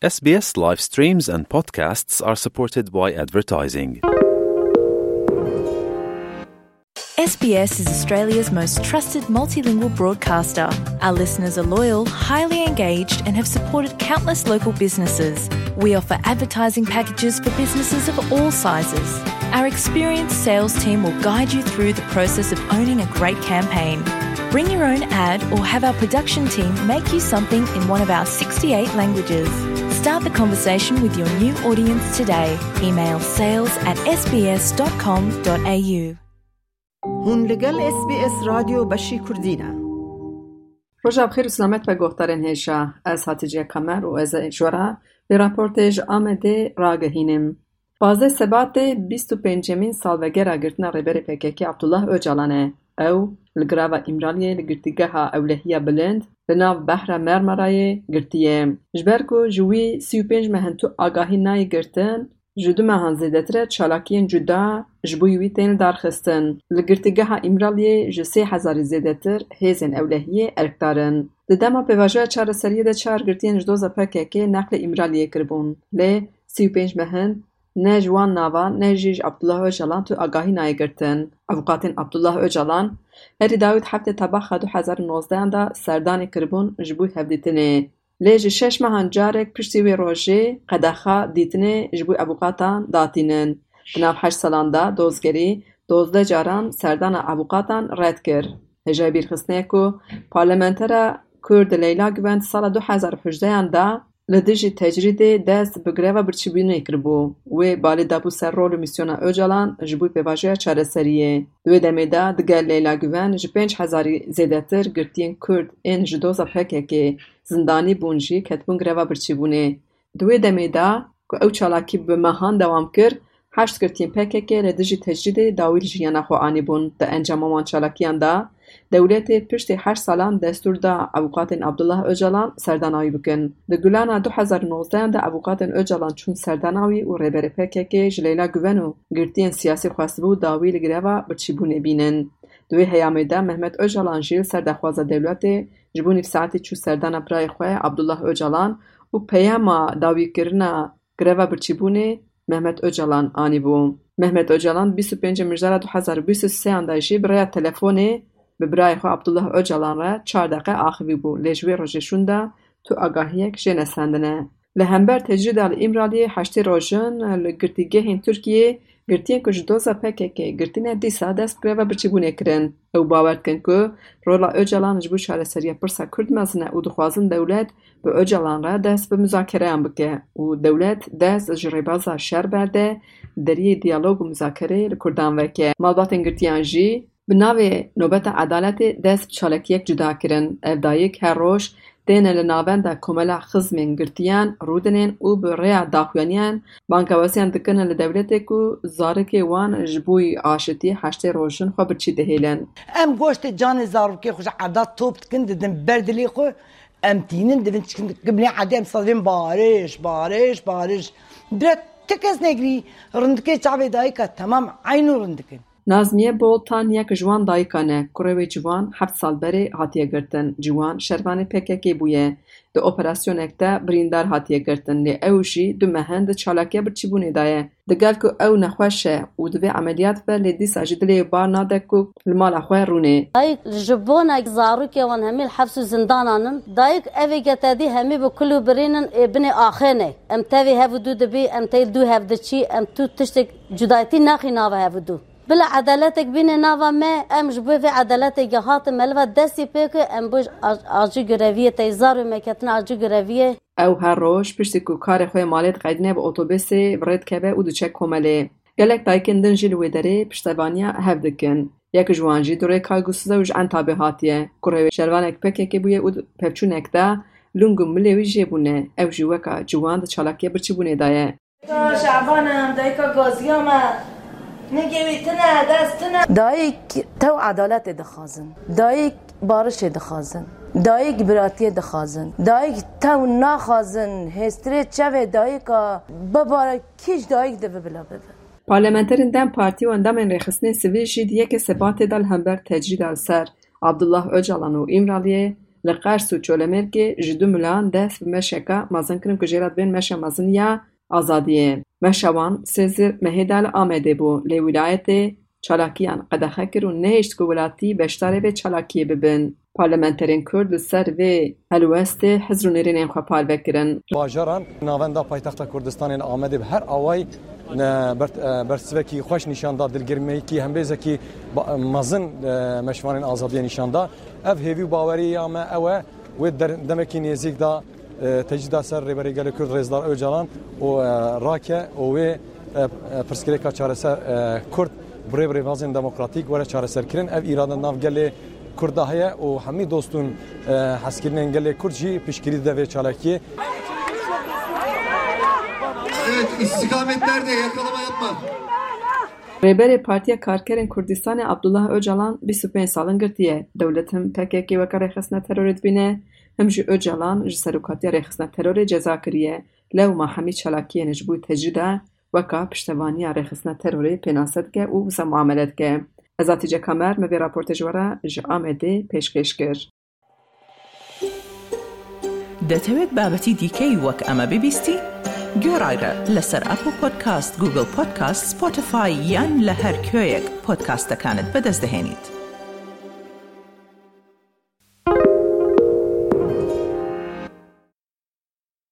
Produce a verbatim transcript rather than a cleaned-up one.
S B S live streams and podcasts are supported by advertising. S B S is Australia's most trusted multilingual broadcaster. Our listeners are loyal, highly engaged, and have supported countless local businesses. We offer advertising packages for businesses of all sizes. Our experienced sales team will guide you through the process of owning a great campaign. Bring your own ad or have our production team make you something in one of our sixty-eight languages. Start the conversation with your new audience today. Email sales at S B S dot com dot A U. Hûn li gel S B S Radyo Beşî Kurdî ne. Roja bi xêr û selamet be guhdarên hêja. Ez Hatice Kamer û ez ê ji we re vê raportê ji Amedê ragihînim. Pazdeh Sebatê bîst û pêncemîn salvegera girtina Rêberê P K K Abdullah Ocalan e. Ew li grava Îmraliyê li girtîgeha ewlehiya bilind li nav Behra Mermerayê girtiye. Ji ber ku ji wî sî û pênc meh in tu agahî nayê girtin, ji du mehan zêdetir e çalakiyên cuda ji bo wî tên lidarxistin. Li girtîgeha Îmraliyê ji sê hezarî zêdetir hêzên ewlehiyê erkdar in. Di dema pêvajoya çareseriyê de çar girtiyên ji doza P K K neqlê Îmraliyê kiribûn, lê sî û pênc meh in ne ji wan navan ne jî ji Abdullah Ocalan tu agahî nayê girtin. Avûkatên Abdullah Ocalan herî dawî di heftê Tebaxa du hezar û nozdehan de serdanê kiribûn ji bo hevdîtinê. Lê ji şeş mehan carek piştî wê rojê qedexa dîtinê ji bo avûkatan datînin. Di nav heşt salan de dozgerî dozdeh caran serdana avûkatan red kir. Hêjayî bîrxistinê ye ku parlamentera Kurd Leyla Guven di sala du hezar û hejdehan de li dijî tecrîdê dest bi greva birçîbûnê kiribû. Wê balê dabû ser rol û mîsyona Ocalan ji bo pêvajoya çareseriyê. Di wê demê de digel Leyla Guven ji pênc hezarî zêdetir girtiyên Kurd ên ji doza P K K zindanî bûn jî ketibûn greva birçîbûnê. Di wê demê de ku ew çalakî bi mehan dewam kir, heşt girtiyên P K K li dijî tecrîdê dawî li jiyana xwe anîbûn. Di encama wan çalakiyan de dewletê piştî heşt salan destûr da avûkatên Abdullah Ocalan serdana wî bikin. Di Gulana du hezar û nozdehan de avûkatên Ocalan çûn serdana wî û Rêberê P K K ji Leyla Guven û girtiyên siyasî xwestibû dawî li greva birçîbûnê bînin. Di wê heyamê de Mehmet Ocalan jî li ser daxwaza dewletê ji bo nîv saetî çû serdana birayê xwe Abdullah Ocalan û peyama dawîkirina greva birçîbûnê Mehmet Ocalan anîbû. Mehmet Ocalan bîst û pêncê Mijdara du hezar û bîst û sêyan de jî bi rêya telefonê bi birayê xwe Abdullah Ocalan re çar deqe axivîbû, lê ji wê rojê şûnde tu agahiyek jê nesendine. Li hember tecrîda li Îmraliyê heştê rojin li girtîgehên Tirkiyê girtiyên ku ji doza P K K girtine dîsa dest bi greva birçîbûnê kirin. Ew bawer dikin ku rola Ocalan ji bo çareseriya pirsa Kurd mezin e û dixwazin dewlet bi Ocalan re dest bi muzakereyan bike û dewlet dest ji rêbaza şer berde, deriyê diyalog û muzakereyê li Kurdan veke. Malbatên girtiyan jî bi navê Nobeta Edaletê dest bi çalakiyek cuda kirin. Ev dayik her roj têne li navenda komela xizmên girtiyan rûdinên û bi rêya daxuyaniyan bangewesiyan dikin li dewletê ku zarokê wan ji bo aşitiyê heştê rojin xwe birçî dihêlin. Em goştê canê zarokê xwe ji erda top dikin, didin ber dilê xwe, em tînin, divin çikin, gibnê edê em sazên bariş, bariş, bariş. Bira ti kes negirî, rindikê çavê dayika temam eynû rindikin. Nazmiye Boltan yek ji wan dayikan e. Kurê wê ciwan heft sal berê hatiye girtin. Ciwan şervanê P K K bûye. Di operasyonek de birîndar hatiye girtin, lê ew jî du meh in di çalakiya birçîbûnê de ye. Digel ku ew nexweş e û divê emeliyat be, lê dîsa jî dilê wê bar nade ku li mala xwe rûnê. Dayik ji bona zarokê wan hemî li hefs û zindanan in. Dayik evê getedî hemî bi kul û birîn in, ê binê axê ne. Em tevî hev û dû dibî, em tey dû hev diçî, em tu tiştek cudayetî naxî nava hev û dû. Bila edaletek bîne nava me, em ji bo vê edaletê ge hatin me li va destî pê ke em bo aj-, ajî göreviyê tey zar û me ketine ajî göreviyê. Ew her roj piştî ku karê xwe yê malê diqedîne bi otobusê bi rê dikeve û diçe komelê. Gelek dayikên din jî li wê derê piştevaniya hev dikin. Yek ji wan jî durê Kaygusuz e û ji Entabê hatiye. Kurê wê şervanek P K K bûye û di pevçûnek de ling û milê wî jê bûne. Ew jî weka ciwan di çalakiya birçîbûnê de ye. Dayika Şaban im, dayika gaziya me. Nigê wî tune, dest tune. Dayik tew edaletê dixwazin. Dayik barişê dixwazin. Dayik biratiyê dixwazin. Dayik tew naxwazin. Hêstirê çavê dayika bibare, kî ji dayik divê bila bibe. Parlamenterên DEM Partî û endamên Rêxistinên Sivîl jî di yekê Sebatê de li hember tecrîda li ser Abdullah Ocalan û Îmraliyê Li Qers û Çolemêrgê ji du milan dest bi meşeka mezin kirin ku jê re dibên meşa mezin ya azadiyê. Meşa wan sêzdeh mehê de li Amedê bû, lê wîlayetê çalakiyan qedexe kir û nehişt ku welatî beşdarê vê çalakiyê bibin. Parlamenterên Kurd li ser vê helwestê hizr û nêrînên xwe parve kirin. Bajaran navenda paytexta Kurdistanê li Amedê bi her awayî, e, ber-, e, bersivekî xweş nîşan da, dilgirmeyekî hembêzekî ba-, mezin, e, meşvanên azadiyê nîşan da. Ev hêvî û bawerî ya me ew e, wê der-, demekî nêzîk da, e, tecrîda ser Rêberê Gelê Kurd Rêzdar Ocalan û, e, rake û wê, e, e, pirsgirêka çareser, e, Kurd bi rê bi rêbazên demokratîk were çareserkirin. Ev îrade nav gelê Kurd de heye û hemî dostûn, e, hezkirinên gelê Kurd jî piştgirî dide vê çalakiyê. Evet, istikamet nerede? Yakalama yapma. Rêberê Partiya Karkerên Kurdistanê Abdullah Ocalan bîst û pênc salin girtiye. Dewlet him P K K weke rêxistina terorê dibîne, him jî Ocalan ji serokatiya rêxistina terorê ceza kiriye. Lewma hemî çalakiyên ji bo tecrîda weka piştevaniya rêxistina terorê pênase dike û wisa muamele dike. Ez Hatice Kamer, me vê raportê ji we re ji Amedê pêşkêş kir. دەتەوێت بابەتی دیکەی وەک ئەمە ببیستی؟ گوێڕایرە لەسەر ئەپڵ پۆدکاست، گوگڵ پۆدکاست، سپۆتیفای یان لە هەر کوێیەک پۆدکاستەکانت بەدەست دەهێنیت.